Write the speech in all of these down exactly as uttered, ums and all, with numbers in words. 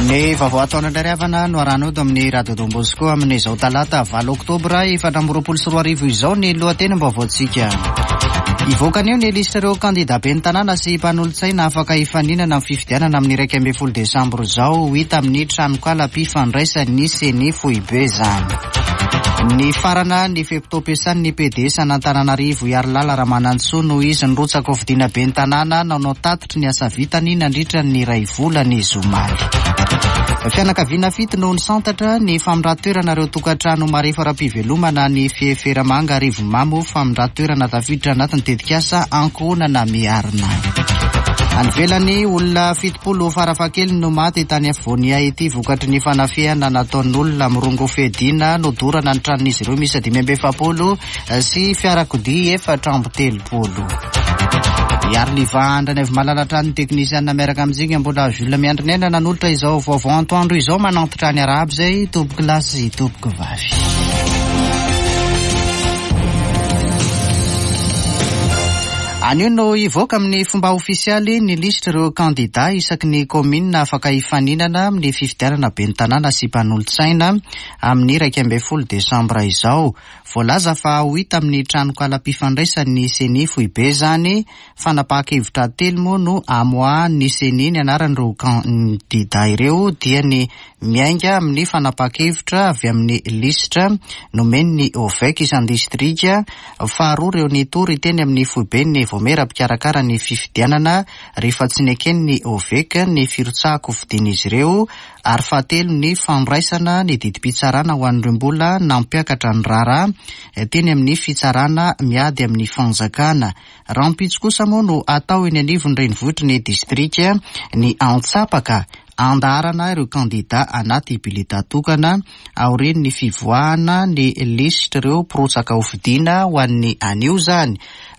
Ny vaovao ataon'ny ravana no arahanao eto amin'ny Radio Don Bosco amin'izao talata valo oktobra efatra amby roapolo sy roa arivo izao ny lohatenim-baovaontsika. Hivoaka anio ny lisitra ireo kandida ben'ny tanàna sy mpanolotsaina afaka hifaninana amin'ny fifidianana amin'ny iraika ambin'ny folo desambra izao, ho hita amin'ny tranokalam-pifandraisan'ny CENI foibe izany. Ny farana ny fe-potoam-piasan'ny P D S an'Antananarivo Harilala Ramanantsoa noho izy nirotsaka ho fidiana ben'ny tanàna nanao tatitry ny asa vitany nandritra ny iray volana izy omaly. Fianakaviana fito no nisantatra ny famindran-toerana ireo tokantrano marefo ara-pivelomana ny Fieferamanga Arivonimamo, famindran-toerana tafiditra anatin'ny tetikasa ankohonana miarina. Any ivelany, olona fitopolo farafahakeliny no maty tany afovoan'i Haiti vokatry ny fanafihana nataon'olona mirongo fiadiana nodorana ny tranon'izy ireo miisa dimy amby efapolo sy fiarakodia efatra amby telopolo. Iariliva Andranaivomalala hatrany teknisiana miaraka amintsika mbola Jules Miandrinena nanolotra izao vaovao antoandro izao manantitra ny arahaba izay tompoko lahy sy tompoko vavy. Anio no hivoaka amin'ny fomba ofisialy ny lisitra ireo kandida isaky ny kaominina afaka hifaninana amin'ny fifidianana ben'ny tanàna sy mpanolotsaina amin'ny iraika ambin'ny folo desambra izao. Voalaza fa ho hita amin'ny tranokalam-pifandraisan'ny CENI foibe izany. Fanapahan-kevitra telo moa no amoahan'ny CENI ny anaran'ireo kandida ireo, dia ny miainga amin'ny fanapahan-kevitra avy amin'ny lisitra nomen'ny O V E C isan-distrika, faharoa ireo nitory teny amin'ny foiben'ny Vaomiera mpikarakara ny fifidianana rehefa tsy neken'ny O V E C ny firotsahako fidian'izy ireo, ary fahatelo ny fandraisana ny didim-pitsarana ho an'ireo mbola nampiakatra ny raharaha teny amin'ny fitsarana miady amin'ny fanjakana. Rahampitso kosa moa no atao eny anivon'ny renivohitry ny distrika ny antsapaka andaharana ireo kandida anaty bileta tokana aorian'ny fivoahana ny lisitra ireo mpirotsaka ho fidiana ho an'ny anio izany.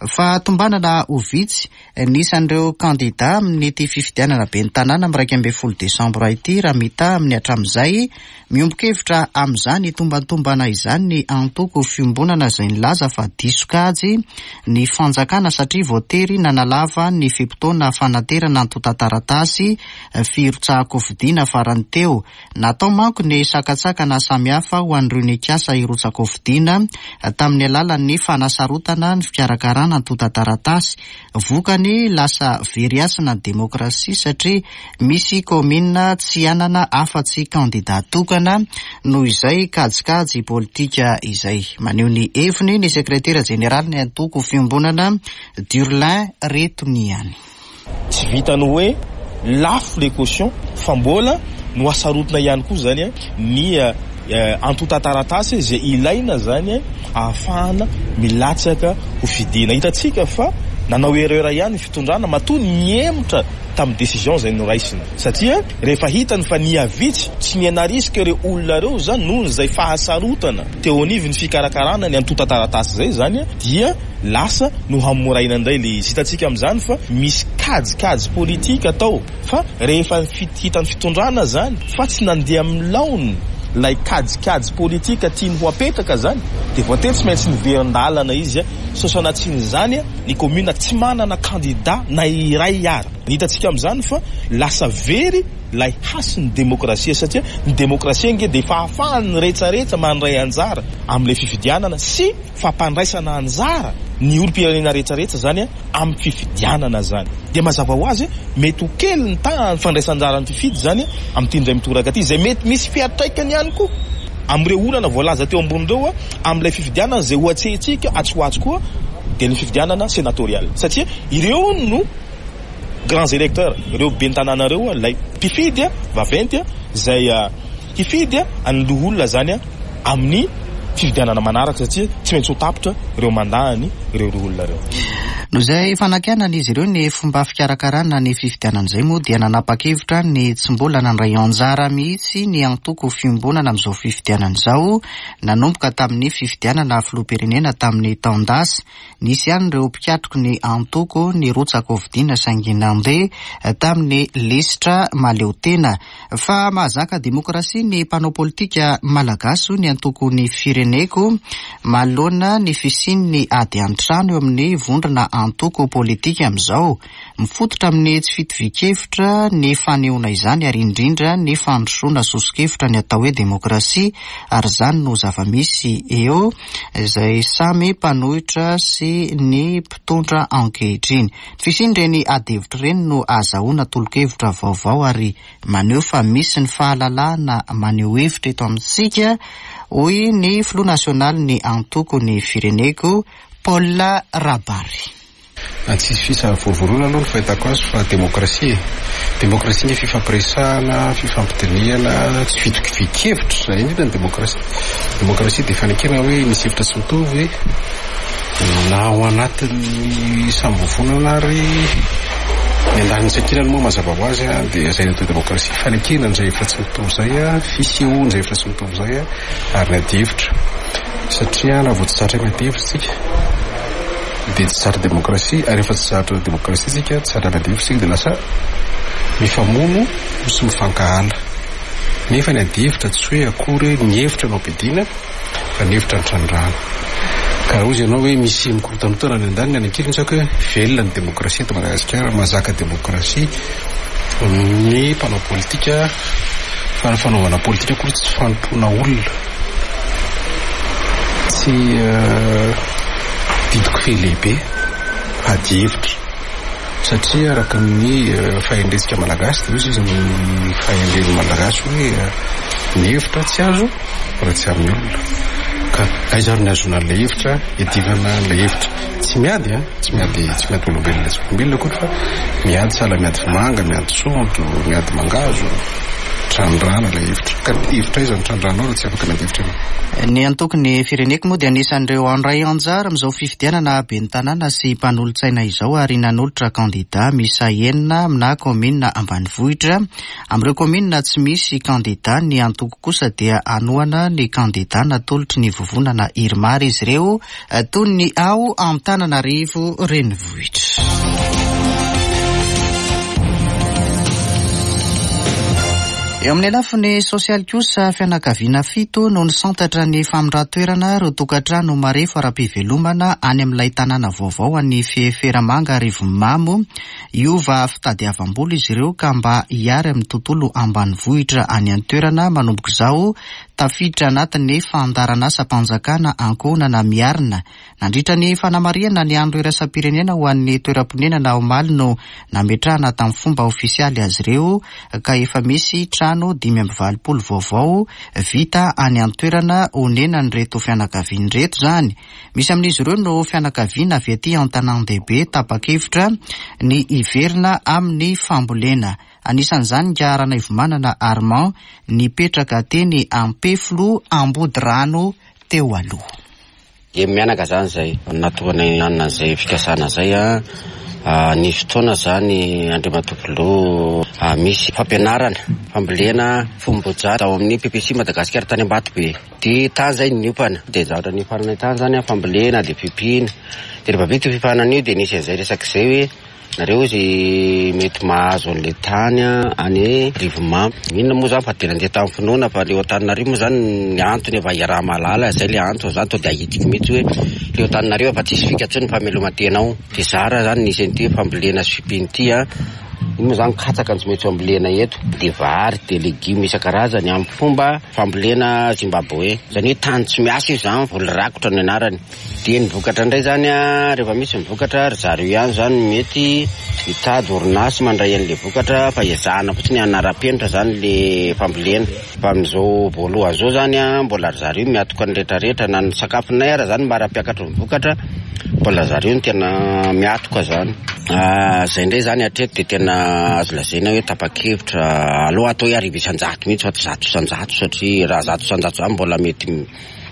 Fa tombanana ho vitsy ny isan'ireo kandida amin'ity fifidianana ben'ny tanàna amin'ny iraika ambin'ny folo desambra ity raha mitaha amin'ny hatramin'izay. Miombon-kevitra amin'izany tombantombana izany ny antoko fiombonana izay nilaza fa diso kajy ny fanjakana satria voatery nanalava ny fe-potoana fanaterana antontan-taratasy firotsahako-fidiana farany teo. Natao manko ny sakatsakana samihafa ho an'ireo nikasa hirotsako-fidiana tamin'ny alalan'ny fanasarotana ny fikarakarana antontan-taratasy. Vokany lasa very hasina ny demokrasia satria misy kaominina tsy hanana afa-tsy kandida tokana noho izay kajikajy politika izay. Maneho ny heviny ny sekretera jeneraly ny antoko fiombonana Durlin Retoniany. Tsy vitany hoe lafo le caution fa mbola no asarotina ihany koa zany ny antontan-taratasy izay ilaina zany ahafahana milatsaka ho fidiana. Hitantsika fa nanao erreur ihany ny fitondrana matoa nihemotra tamin'ny décision izay noraisina, satria rehefa hitany fa nihavitsy tsy nianarisika ireo olona ireo zany noho izay fahasarotana teo anivon'ny fikarakarana ny antontan-taratasy izay zany dia lasa no hamoraina indray le izy. Hitantsika amin'izany fa misy kajikajy politika atao fa rehefa hitan'ny fitondrana zany fa tsy nandeha amin'ny laoniny lay kajikajy politika tiany ho apetaka zany dia voatery tsy maintsy niverin-dalana izy. Sosanatsian'izany ny commune tsy manana kandida na iray ara. Ny hitantsika amin'izany fa lasa very lay hasin'ny demokrasia, satria ny demokrasia ange dia fahafahan'ny rehetrarehetra mandray anjara amin'ilay fifidianana sy fampandraisana anjara ny olom-pirenena rehetrarehetra zany amin'ny fifidianana zany. Dia mazava ho azy mety ho kely ny tahan'ny fandraisan-anjaran'ny mpifidy zany amin'ity indray mitoraka ity, izay mety misy fiantraikany ihany koa amin'ireo olana voalaza teo ambony ireo amin'ilay fifidianana izay ho atrehintsika atsy ho atsy koa, dia ny fifidianana sénatoriale, satria ireo no grands électeurs, ireo ben'ny tanàna ireo ilay mpifidy vaventy izay hifidy an'ny loholona zany amin'ny fifidianana manaraka, satria tsy maintsy ho tapitra ireo mandahany ireo loholona ireo. Noho izay fanakianana izy ireo ny fomba fikarakarana ny fifidianana izay moa dia nanapa-kevitra ny tsy mbola nandray anjara mihitsy ny antoko fiombonana amin'izao fifidianana izao, nanomboka tamin'ny fifidianana filoham-pirenena tamin'ny taon-dasa. Nisy ihany ireo mpikatroky ny antoko nirotsaka ho fidiana saingy nandeha tamin'ny lisitra mahaleo tena. Fa mahazaka demokrasia ny mpanao politika malagasy hoy ny antoko ny fireneko manoloana ny fisian'ny ady an-trano eo amin'ny vondrona antoko politika amin'izao. Mifototra amin'ny tsy fitovian-kevitra ny fanehoana izany ary indrindra ny fandrosoana soso-kevitra ny atao hoe demokrasia, ary izany no zava-misy eo izay samy mpanohitra sy ny mpitondra ankehitriny. Ny fisian'ireny ady hevitra ireny no ahazoana tolo-kevitra vaovao ary maneho fa misy ny fahalalahana maneho hevitra eto amintsika, hoy ny filoha nasionalin'ny antoko Ny Fireneko, Paul Rabary. Tsisy fisavorovoroana aloha ny fahitako azy fa demokrasia e. Demokrasia ny fifampiresahana, fifampidinihana, tsy fitokivan-kevitra, izay indrindra ny demokrasia. Demokrasia dia fanekena hoe misy hevitra tsy mitovy na ao anatin'ny samy vovonana ary ny andaniny sy ankilany moa mazava ho azy dia izay ny atao demokrasia. Fanekena an'izay hevitra tsy mitovy izay, fisehoan'izay hevitra tsy mitovy izay ary ny ady hevitra. Satria raha vao tsy zatra miady hevitra isika dia tsy zatra demokrasia, ary rehefa tsy zatra demokrasia isika, tsy zatra miady hevitra isika dia lasa mifamono sy mifankahala. Nefa ny ady hevitra tsy hoe akory ny hevitra no ampiadiana fa ny hevitra no trandrahana. Ka raha hozy ianao hoe misy mikorontana ny andaniny any ankilany, tsy haiko hoe velona ny demokrasia eto Madagasikara, mahazaka demokrasia ny mpanao politika, fa ny fanaovana politika akory tsy fanompoana olona, tsy didiko fe lehibe fa ady hevitra. Satria araka ny fahendrentsika malagasy dia hozy izy ny fahendren'ny malagasy hoe ny hevitra tsy azo raha tsy amin'ny olona. Ka aiza ary ny ahazoana an'ilay hevitra, iadivana an'ilay hevitra. Tsy miady, tsy miady, tsy miady olombelona, tsy olombelona akory fa miady sahala miady vomanga, miady saonjo, miady mangahazo, trandrahana ilay hevitra. Ka hevitra aiza no trandrahanao raha tsy afaka miady hevitra ianao? Ny antoko Ny Fireneko moa dia anisan'ireo handray anjara amin'izao fifidianana ben'ny tanàna sy mpanolotsaina izao ary nanolotra kandida miisa enina amina kaominina ambanivohitra. Amin'ireo kaominina tsy misy kandida, ny antoko kosa dia hanohana ny kandida natolotry ny vovonana Irmar izy ireo, toy ny ao Antananarivo renivohitra. Eo amin'ny lafiny sosialy kosa, fianakaviana fito no nisantatra ny famindran-toerana ireo tokantrano marefo ara-pivelomana any amin'ilay tanàna vaovao any Fieferamanga Arivonimamo. Hiova fitadiavam-bola izy ireo ka mba hiary amin'ny tontolo ambanivohitra any an-toerana manomboka izao, tafiditra anatin'ny fandaharanasam-panjakana ankohonana miarina. Nandritra ny fanamarihana ny andro iraisam-pirenena ho an'ny toeram-ponenana omaly no nametrahana tamin'ny fomba ofisialy azy ireo, ka efa misy trano dimy amby valopolo vaovao vita any an-toerana honenan'ireto fianakaviana ireto izany. Misy amin'izy ireo no fianakaviana avy aty an-tanàn-dehibe tapa-kevitra ny hiverina amin'ny fambolena. Anisan'izany ka Ranaivomanana Armand nipetraka teny Ampeflo Ambodirano teo aloha. Dia mianaka zany zay natokana hanana izay fikasana zay a ny fotoana zany Andriamatoa Filoha misy fampianarana fambolena fomboja tao amin'ny P P C Madagasikara tany Ambatobe. Dia tany zay niompana, dia zavatra niompana tany zany fambolena dia fiompiana. Dia rehefa vita io fiofanana io dia nisy an'izay resaka izay hoe nareo izy mety mahazo an'ilay tany any Rivomamo. Inona moa zany fa dia nandeha tamin'ny finoana fa leo Antananarivo moa zany ny antony efa iaraha-mahalala izay ilay antony zany to dia ahitiko mihitsy hoe leo Antananarivo fa tsisy fika intsony ny fameloman-tena ao. Dia zara zany nisy an'ity fambolena sy fiompiana ity a. Iny moa zany katsaka no tsy maintsy ambolena eto, dia vary, dia legioma isan-karazany amin'ny fomba fambolena Zimbabwe. Izany hoe tany tsy miasa io zany, voly rakotra ny anarany. Dia ny vokatra indray zany a, rehefa misy ny vokatra ry zareo ihany zany mety hitady orinasa mandray an'ilay vokatra fa ezahana fotsiny hanara-penitra zany le fambolena. Fa amin'izao voalohany izao zany a, mbola ry zareo miatoka ny rehetrarehetra na ny sakafonay ara zany mara-piakatra ny vokatra, mbola zareo no tena miatoka zany. Zay indray zany hatreto dia tena azo lazaina hoe tapa-kevitra aloha atao hoe arivo isan-jato mihitsy fa tsy zato isan-jato, satria raha zato isan-jato zany mbola mety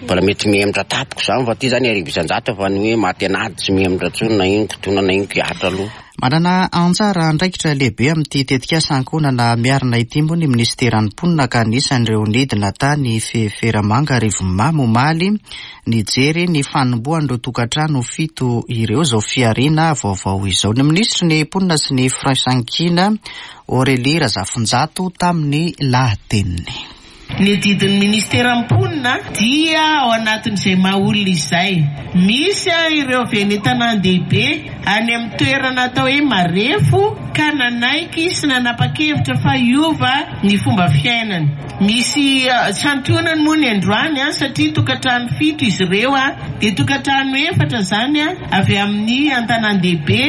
mbola mety mihemotra tampoka zany, fa ty zany arivo isan-jato fa ny hoe maty an'ady tsy mihemotra intsony na ino kitona na ino kiatra aloha. Manana anjara andraikitra lehibe amin'ity tetikasa ankohonana miarina ity moa ny minisiteran'ny mponina, ka anisan'ireo nidina tany Fieferamanga Arivonimamo omaly nijery ny fanombohan'ireo tokantrano fito ireo izao fihariana vaovao izao. Ny minisitry ny mponina sy ny firaisankina Aurélie Razafinjato tamin'ny lahateniny. Ny adidin'ny ministeran'ny mponina dia ao anatin'izay maha olona izay. Misy ireo avy any an-tanàn-dehibe any amin'ny toerana atao hoe marefo ka nanaiky sy nanapa-kevitra fa hiova ny fomba fiainany. Misy santionany moa ny androany satria tokantrano fito izy ireo, dia tokantrano efatra zany avy amin'ny an-tanàn-dehibe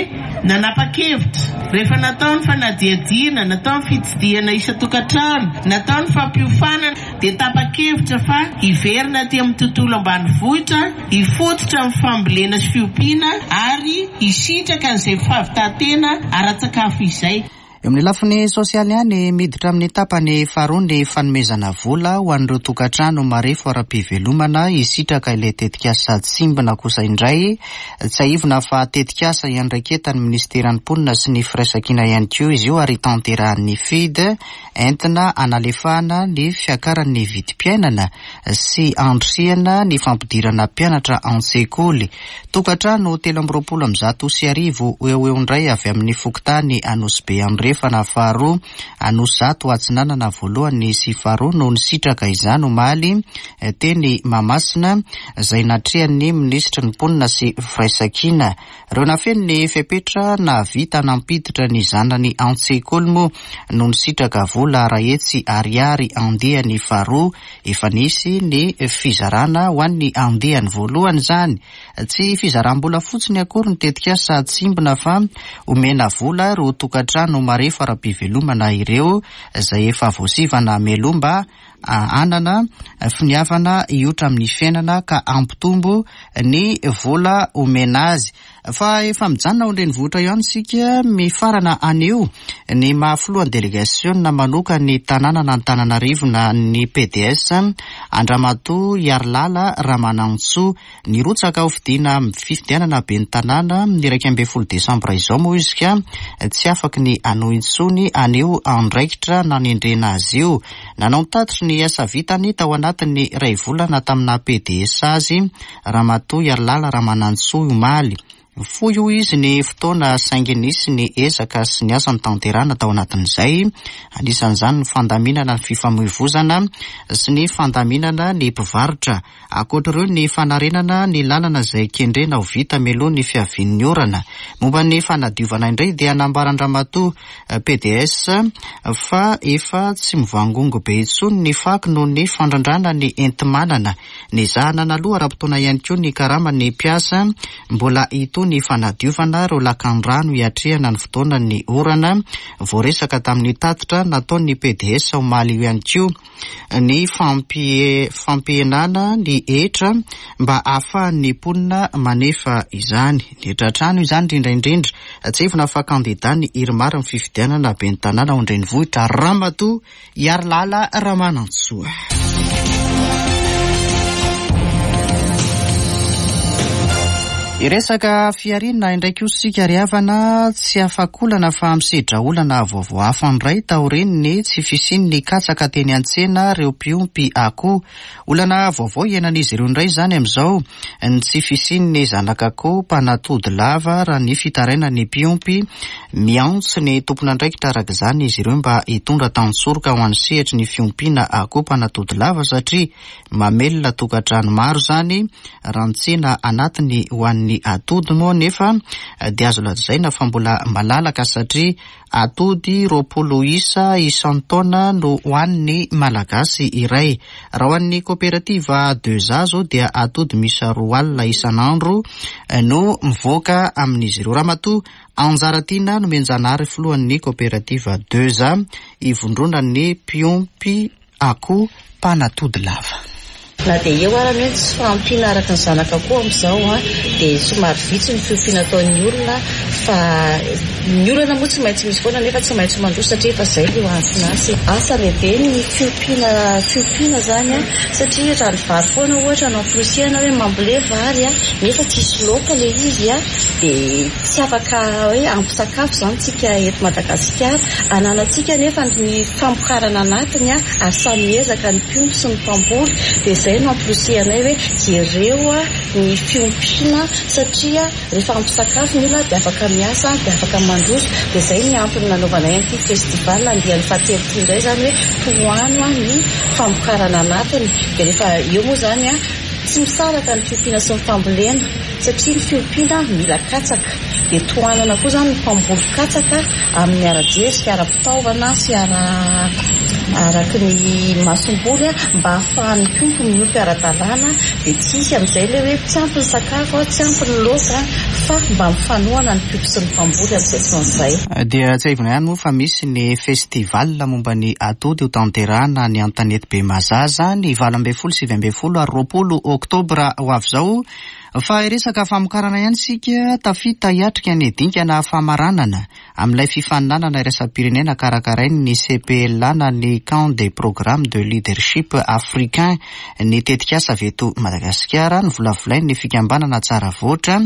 nanapa-kevitra. Rehefa natao ny fanadihadiana, natao ny fitsidihana isan-tokantrano, natao ny fampiofanana, dia tapa-kevitra fa hiverina aty amin'ny tontolo ambanivohitra, hifototra amin'ny fambolena sy fiompiana ary hisitraka an'izay fahavitan-tena ara-tsakafo izay. Eo amin'ny lafiny sosialy ihany, miditra amin'ny tapany faharoa ny fanomezana vola ho an'ireo tokantrano marefo ara-pivelomana hisitraka ilay tetikasa Tsimbina kosa indray. Tsiahivina fa tetikasa iandraiketan'ny ministeran'ny mponina sy ny firaisankina ihany koa izy io ary tanterahan'ny F I D entina analefahana ny fiakaran'ny vidim-piainana sy andrisihana ny fampidirana mpianatra an-tsekoly. Tokantrano telo amby roapolo amby zato sy arivo eo eo indray avy amin'ny fokontany Anosibe Andrefana faharoa, Anosizato Atsinanana voalohany sy faharoa no nisitraka izany omaly teny Mahamasina izay natrehan'ny minisitry ny mponina sy firaisankina. Ireo nafeno ny fepetra nahavita nampiditra ny zanany an-tsekoly moa no nisitraka vola iray hetsy ariary andiany faharoa. Efa nisy ny fizarana ho an'ny andiany voalohany izany. Tsy fizaram-bola fotsiny akory ny tetikasa Tsimbina fa omena vola ireo tokantrano marefo ara-pivelomana ireo izay efa voasivana mialoha mba hanana finiavana hiotra amin'ny fiainana ka hampitombo ny vola omena azy. Fa efa mijanona ao an-drenivohitra ihany isika mifarana anio ny maha filohan'ny delegasiona manokana ny tanànan'Antananarivo na ny P D S Andriamatoa Iarilala Ramanantsoa. Nirotsaka ho fidiana amin'ny fifidianana ben'ny tanàna ny iraika ambin'ny folo desambra izao moa izy ka tsy afaky ny hanohy intsony anio andraikitra nanendrena azy io. Nanao ny tatitry ny asa vitany tao anatin'ny iray volana tamina P D S azy Ramatoa Iarilala Ramanantsoa omaly. Fohy hoy izy ny fotoana saingy nisy ny ezaka sy ny asa notanterahina tao anatin'izay. Anisan'izany ny fandaminana ny fifamoivozana sy ny fandaminana ny mpivarotra. Ankoatra ireo ny fanarenana ny lalana izay kendrena ho vita mialoha ny fiavian'ny orana. Momba ny fanadiovana indray dia nambaran-dRamatoa P D S fa efa tsy mivangongo be intsony ny fako noho ny fandrandrana ny enti-manana. Nezahana naloha ara-potoana ihany koa ny karaman'ny mpiasa. Mbola hitohy ny fanadiovana ireo lakan-drano hiatrehana ny fotoanan'ny orana. Voaresaka tamin'ny tatitra nataon'ny P D S omaly io ihany koa ny fampie-, fampihenana ny hetra mba ahafahan'ny mponina manefa izany. Ny hetra trano izany indrindra indrindra. Tsiahivina fa kandida ny Irmar amin'ny fifidianana ben'ny tanàna ao an-drenivohitra Ramatoa Iarilala Ramanantsoa. Hiresaka fihariana indray koa isika ry havana, tsy afa-kolana fa misedra olana vaovao hafa indray taorian'ny tsy fisian'ny katsaka teny an-tsena ireo mpiompy akoho. Olana vaovao iainan'izy ireo indray izany amin'izao, ny tsy fisian'ny zanak'akoho mpanatody lava raha ny fitarainan'ny mpiompy. Miantso ny tompon'andraikitra araka izany izy ireo mba hitondra tantsoroka ho an'ny sehatry ny fiompiana akoho mpanatody lava satria mamelona tokantrano maro izany raha ny tsena anatiny ho an'ny ny atody moa nefa dia azo lazaina fa mbola malalaka satria atody roapolo isa isan-taona no ho an'ny Malagasy iray. Raha ho an'ny kooperativa deux A zao dia atody miisa roa alina isan'andro no mivoaka amin'izy ireo. Ramatoa Anjaratiana Nomenjanahary filohan'ny kooperativa deux A ivondronan'ny mpiompy akoho mpanatody lava. Na dia eo ara ny hoe tsy fahampiana araka ny zanaka akoho amin'izao, a, dia somary vitsy ny fiompiana ataon'ny olona, fa ny olana moa tsy maintsy misy foana nefa tsy maintsy mandroso satria efa izay no anton'asa. Asa lehibe ny fiompiana, fiompiana izany, a, satria raha ny vary foana ohatra no amporisihana hoe mambole vary, a, nefa tsisy laoka ilay izy, a, dia tsy afaka hoe ampy sakafo izany tsika eto Madagasikara. Ananantsika nefa ny famokarana anatiny, a, ary samy miezaka ny mpiompy sy ny mpamboly, dia izay no amporisihanay hoe jereo, a, ny fiompiana, satria rehefa ampy sakafo ny olona dia afaka miasa, dia afaka mandroso. Dia izay ny antony nanaovanay an'ity festival andiany fahatelo ity indray, izany hoe tohano ny famokarana anatiny. Dia rehefa eo moa izany a, tsy misaraka ny fiompiana sy ny fambolena, satria ny fiompiana mila katsaka, dia tohanana koa izany ny mpamboly katsaka amin'ny ara-jezika, ara-pitaovana sy ara araky ny masomboly, mba ahafahan'ny mpiompy miompy ara-dalàna. Dia tsy hisy amin'izay ilay hoe tsy ampy ny sakafo, tsy ampy ny laoka, fa mba mifanohana ny mpiompy sy ny mpamboly amin'izay fotoana izay. Dia tsiahivina ihany moa fa misy ny festival momba ny atody ho tanterahana ny Antanety be Mazaza ny valo ambin'ny folo, sivy ambin'ny folo ary roapolo oktobra ho avy izao. Fa hiresaka famokarana ihany isika. Tafita hiatrika ny dingana famaranana amin'ilay fifaninanana iraisam-pirenena karakarain'ny C P L A na ny Camp des Programmes de Leadership Africain ny tetikasa avy eto Madagasikara ny volavolain'ny fikambanana Tsara Voatra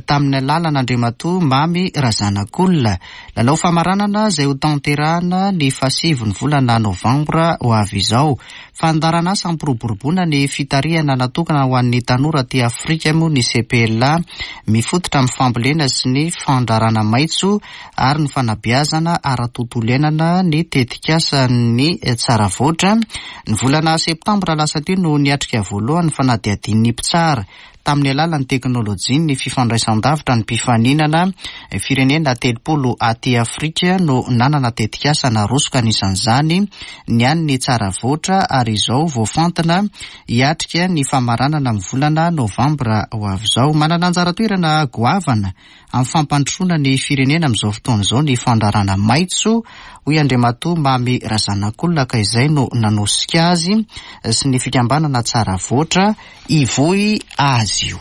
tamin'ny lalana Andriamatoa Mamy Razanakolona. Lalao famaranana izay ho tanterahana ny fahasivy ny volana novambra ho avy izao. Fandaharanasa ampiroboroboana ny fitarihana natokana ho an'ny tanora aty Afrika moa ny C P L A, mifototra amin'ny fambolena sy ny fandraharahana maitso ary ny fanabeazana ara-tontolo iainana ny tetikasa ny Tsara Voatra. Ny volana septambra lasa teo no niatrika voalohany fanadihadian'ny mpitsara tamin'ny alalan'ny teknôlôjia ny fifandraisan-davitra ny mpifaninana. Firenena telopolo aty Afrika no nanana tetikasa narosoka, anisan'izany ny an'ny Tsara Voatra, ary izao voafantina hiatrika ny famaranana amin'ny volana novambra ho avy izao. Manana anjara toerana goavana amin'ny fampandrosoana ny firenena amin'izao fotoana izao ny fandraharahana maitso, hoy Andriamatoa Mamy Razanakolona, ka izay no nanosika azy sy ny fikambanana Tsara Voatra hivoy azy io.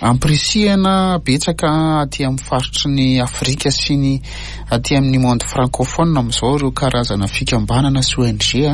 Ampirisihana betsaka aty amin'ny faritry ny Afrika sy ny aty amin'ny monde francophone amin'izao ireo karazana fikambanana sy O N G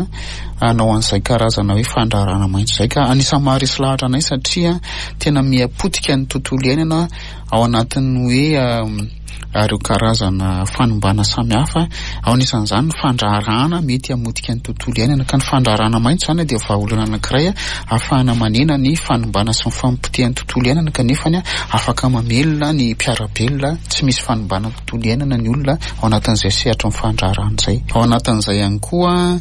hanao an'izay karazana hoe fandraharahana maitso zay, ka anisan'ny maharesy lahatra anay satria tena miapotika ny tontolo iainana ao anatin'ny hoe ireo karazana fanimbana samihafa, ao anisan'izany ny fandraharahana mety hamotika ny tontolo iainana. Ka ny fandraharahana maitso zany dia vahaolana anankiray ahafahana manena ny fanimbana sy ny fampotehan'ny tontolo iainana, kanefany afaka mamelona ny mpiara-belona tsy misy fanimbana tontolo iainana ny olona ao anatin'izay sehatra ny fandraharahana izay. Ao anatin'izay ihany koa,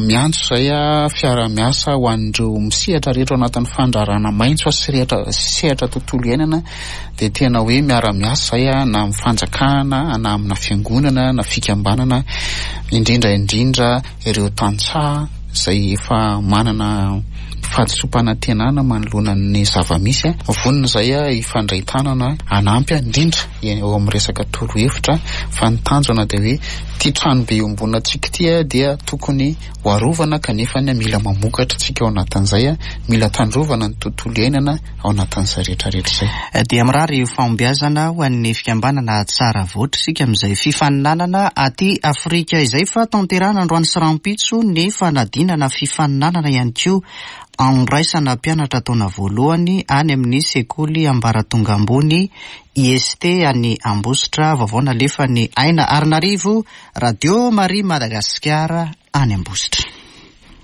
miantso zay a fiara-miasa ho an'ireo misehatra rehetra ao anatin'ny fandraharahana maitso sy rehetra sehatra tontolo iainana, dia tena hoe miara-miasa zay a na amin'ny fanjakana na amina fiangonana na fikambanana, indrindra indrindra ireo tantsaha zay efa manana fahadisoam-panantenana manoloana ny zava-misy a vonona zay a hifandray tanana anampy a indrindra eo amin'ny resaka torohevitra. Fa ny tanjona dia hoe ty trano be iombonantsika ty a dia tokony ho arovana, kanefa ny mila mamokatra tsika ao anatin'izay a mila tandrovana ny tontolo iainana ao anatin'izay rehetrarehetra zay. Dia mirary fahombiazana ho an'ny fikambanana Tsara Voatra isika amin'izay fifaninanana aty Afrika izay. Fa tanterahana androany sy rahampitso ny fanadinana fifaninanana ihany koa andraisana mpianatra taona voalohany any amin'ny sekoly ambaratonga ambony I S T any Ambositra. Vaovao nalefa ny Aina Arinarivo, Radio Marie Madagasikara any Ambositra.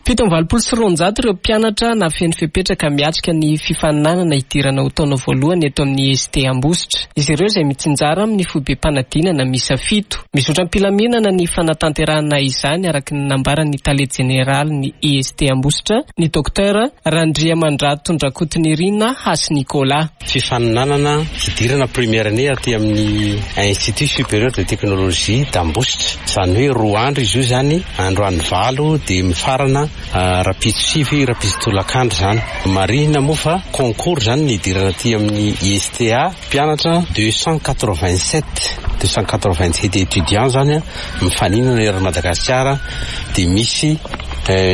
Fito amby valopolo sy roanjato ireo mpianatra nahafeno fepetra miatrika ny fifaninanana hidirana ho taona voalohany eto amin'ny I S T Ambositra. Izy ireo izay mitsinjara amin'ny foibe-panadinana miisa fito. Mizotra am-pilaminana ny fanatanterahana izany, araka ny nambaran'ny tale jeneraly ny I S T Ambositra, ny Docteur Randriamandratondrakotonirina Hasy Nicolas. Fifaninanana hidirana première année aty amin'ny Institut supérieur de technologie d'Ambositra zany hoe roa andro izy io zany, androany valo dia mifarana rahampitso sivy, rahampitso tolakandro zany. Marihina moa fa concours zany ny hidirana aty amin'ny I S T A. Mpianatra deux cent quatre-vingt-sept deux cent quatre-vingt-sept étudiants zany a mifaninana eran'i Madagasikara, dia misy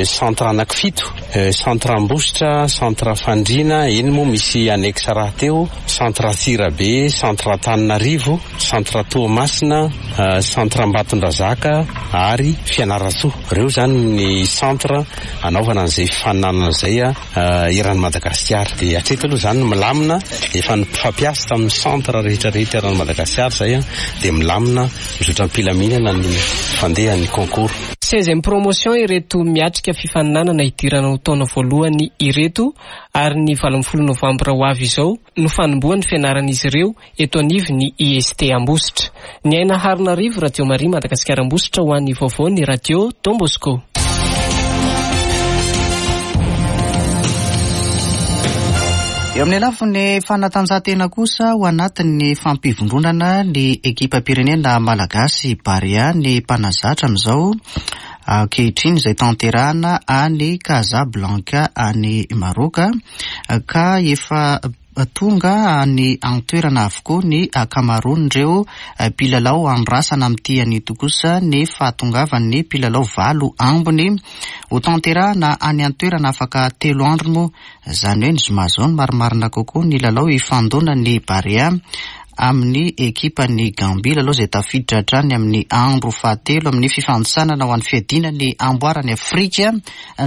centre anaky fito: centre Ambositra, centre Fandriana eny moa misy annexe raha teo, centre Antsirabe, centre Antananarivo, centre Toamasina, centre Ambatondrazaka ary Fianarantsoa. Reo zany ny centre anaovana an'izay fifaninanana zay a eran'i Madagasikara. Dia hatreto aloha zany milamina, efa nifampiasa tamin'ny centre rehetrarehetra eran'i Madagasikara zay a dia milamina, mizotra am-pilaminana ny fandehan'ny concours. Seizième promotion ireto miatrika fifaninanana hidirana ho taona voalohany ireto, ary ny valo ambin'ny folo novambra ho avy izao no fanombohan'ny fianaran'izy ireo eto anivon'ny I S T Ambositra. Ny Aina Harinarivo, Radio Maria Madagasikara Ambositra, ho an'ny vaovao ny Radio Don Bosco. Eo amin'ny lafiny fanatanjahantena kosa, ho anatin'ny fampivondronana ny ekipam-pirenena malagasy Barea ny mpanazatra amin'izao ankehitriny izay tanterahana any Casablanca any Maroka, ka efa tonga any an-toerana avokoa ny ankamaroan'ireo mpilalao. Andrasana amin'ity anito kosa ny fahatongavan'ny mpilalao valo ambiny ho tanterahana any an-toerana afaka telo andro moa, izany hoe ny zoma izao no marimarina kokoa ny lalao ifandonan'ny Barea amin'ny ekipan'ny Gambia, lalao izay tafiditra hatrany amin'ny andro fahatelo amin'ny fifanintsanana ho an'ny fiadiana ny amboaran'i Afrika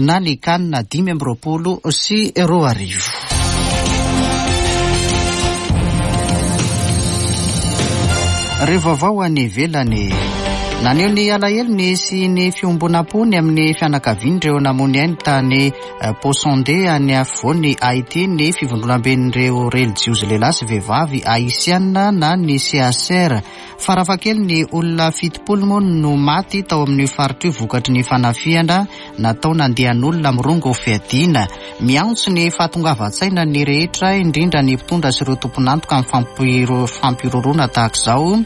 na ny CAN dimy amby roapolo sy roa arivo. Ireo vaovao any ivelany. Naneho ny alahelony sy ny fiombonam-pony amin'ny fianakavian'ireo namoy ainy tany Posondé any afovoan'i Haïti ny fivondronamben'ireo relijiozy lehilahy sy vehivavy haïtiana na ny C H R. Farafakely ny olona fitopolo moa no maty tao amin'ny faritra io vokatry ny fanafihana natao nandehan'olona mirongo fiadiana. Miantso ny fahatongavan-tsaina ny rehetra, indrindra ny mpitondra sy ireo tompon'antoka amin'ny fampiroroana tahaka izao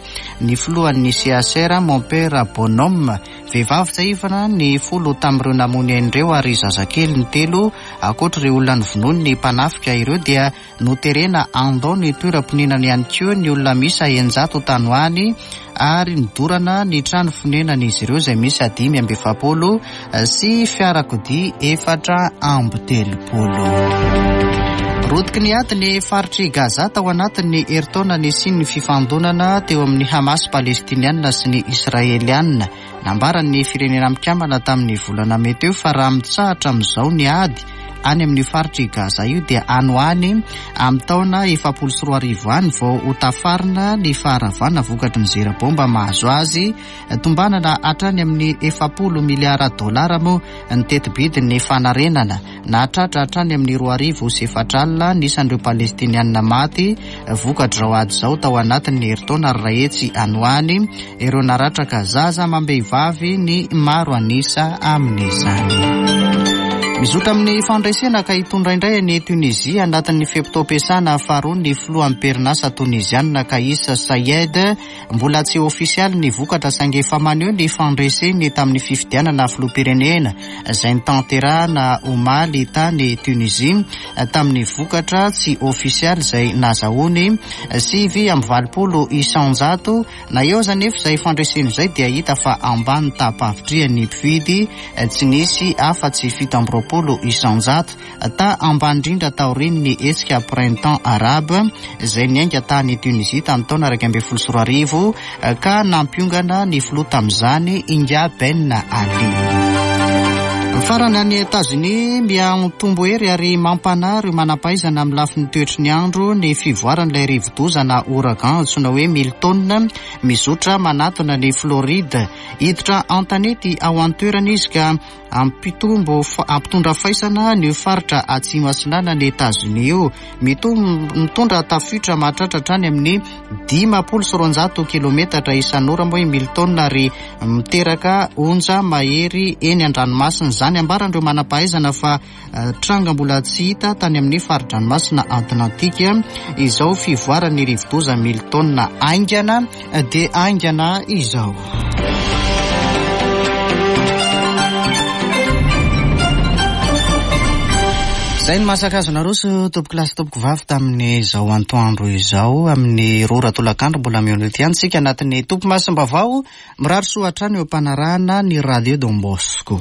ny filohan'ny C H R, Mompera Bonhomme. Vehivavy tsiahivana ny folo tamin'ireo namoy ainy ireo ary zazakely ny telo. Ankoatra ireo olona novonoiny ny mpanafika ireo dia noterena handao ny toeram-ponenany ihany koa ny olona miisa eninjato tany ho any, ary nidorana ny trano fonenan'izy ireo izay miisa dimy amby efapolo sy fiarakodia efatra amby telopolo. Rotiky ny ady ny faritr'i Gaza tao anatin'ny herintaona nisian'ny fifandonana teo amin'ny Hamas palestiniana sy ny Israeliana. Nambaran'ny firenena mikambana tamin'ny volana mey teo fa raha mitsahatra amin'izao ny ady any amin'ny faritr'i Gaza io dia any ho any amin'ny taona efapolo sy roa arivo any vao ho tafarina ny faharavana vokatry ny zera bomba mahazo azy. Tombanana hatrany amin'ny efapolo miliara dolara moa ny tetibidin'ny fanarenana. Nahatratra hatrany amin'ny roa arivo sy efatra alina ny isan'ireo palestiniana maty vokatr'izao ady izao tao anatin'ny herintaona, ary iray hetsy any ho any ireo naratraka zaza amam-behivavy ny maro an'isa amin'izany. Mizotra amin'ny fandresena ka hitondra indray any Tunisie anatin'ny fe-potoam-piasana faharoa ny filohan'ny perinasa tonizianina Kais Saied. Mbola tsy ofisialy ny vokatra saingy efa maneho ny fandreseny tamin'ny fifidianana filoham-pirenena izay notanterahana omaly tany Tunisie tamin'ny vokatra tsy ofisialy izay nazahoany sivy amby valopolo isanjato. Na eo aza nefa izay fandresena izay dia hita fa ambany taham-pahavitrihan'ny mpifidy, tsy nisy afa-tsy fito amby roapolo isanjato, ta ambany indrindra taorian'ny hetsika printemps arabe izay niainga tany Tunisie tamin'ny taona iraika ambin'ny folo sy roa arivo ka nampiongana ny filoha tamin'izany Inga Ben Ali. Farany any Etazonia, miha-mitombo hery ary mampanahy ireo manam-pahaizana amin'ny lafiny toetry ny andro ny fivoaran'ilay rivodoza na ouragan antsoina hoe Milton mizotra manatona ny Floride. Hiditra an-tanety ao an-toerana izy ka ampitombo ampitondra faisana ny faritra atsimo atsinanana Etazonia io. Mitondra tafiotra mahatratra hatrany amin'ny dimampolo sy roanjato kilometatra isan'ora moa i Milton ary miteraka onja mahery eny an-dranomasina. Izany ambaran'ireo manam-pahaizana fa tranga mbola tsy hita tany amin'ny fari-dranomasina Atlantika izao fivoaran'ny rivodoza Milton haingana dia haingana izao. Izay ny mahasakazo naroso tompoko lahy sy tompoko vavy tamin'izao antoandro izao amin'ny roa ora tolakandro. Mbola mihaona eto ihany isika anatin'ny Tompo Masom-baovao. Mirary soa hatrany eo am-panarahana ny Radio Don Bosco.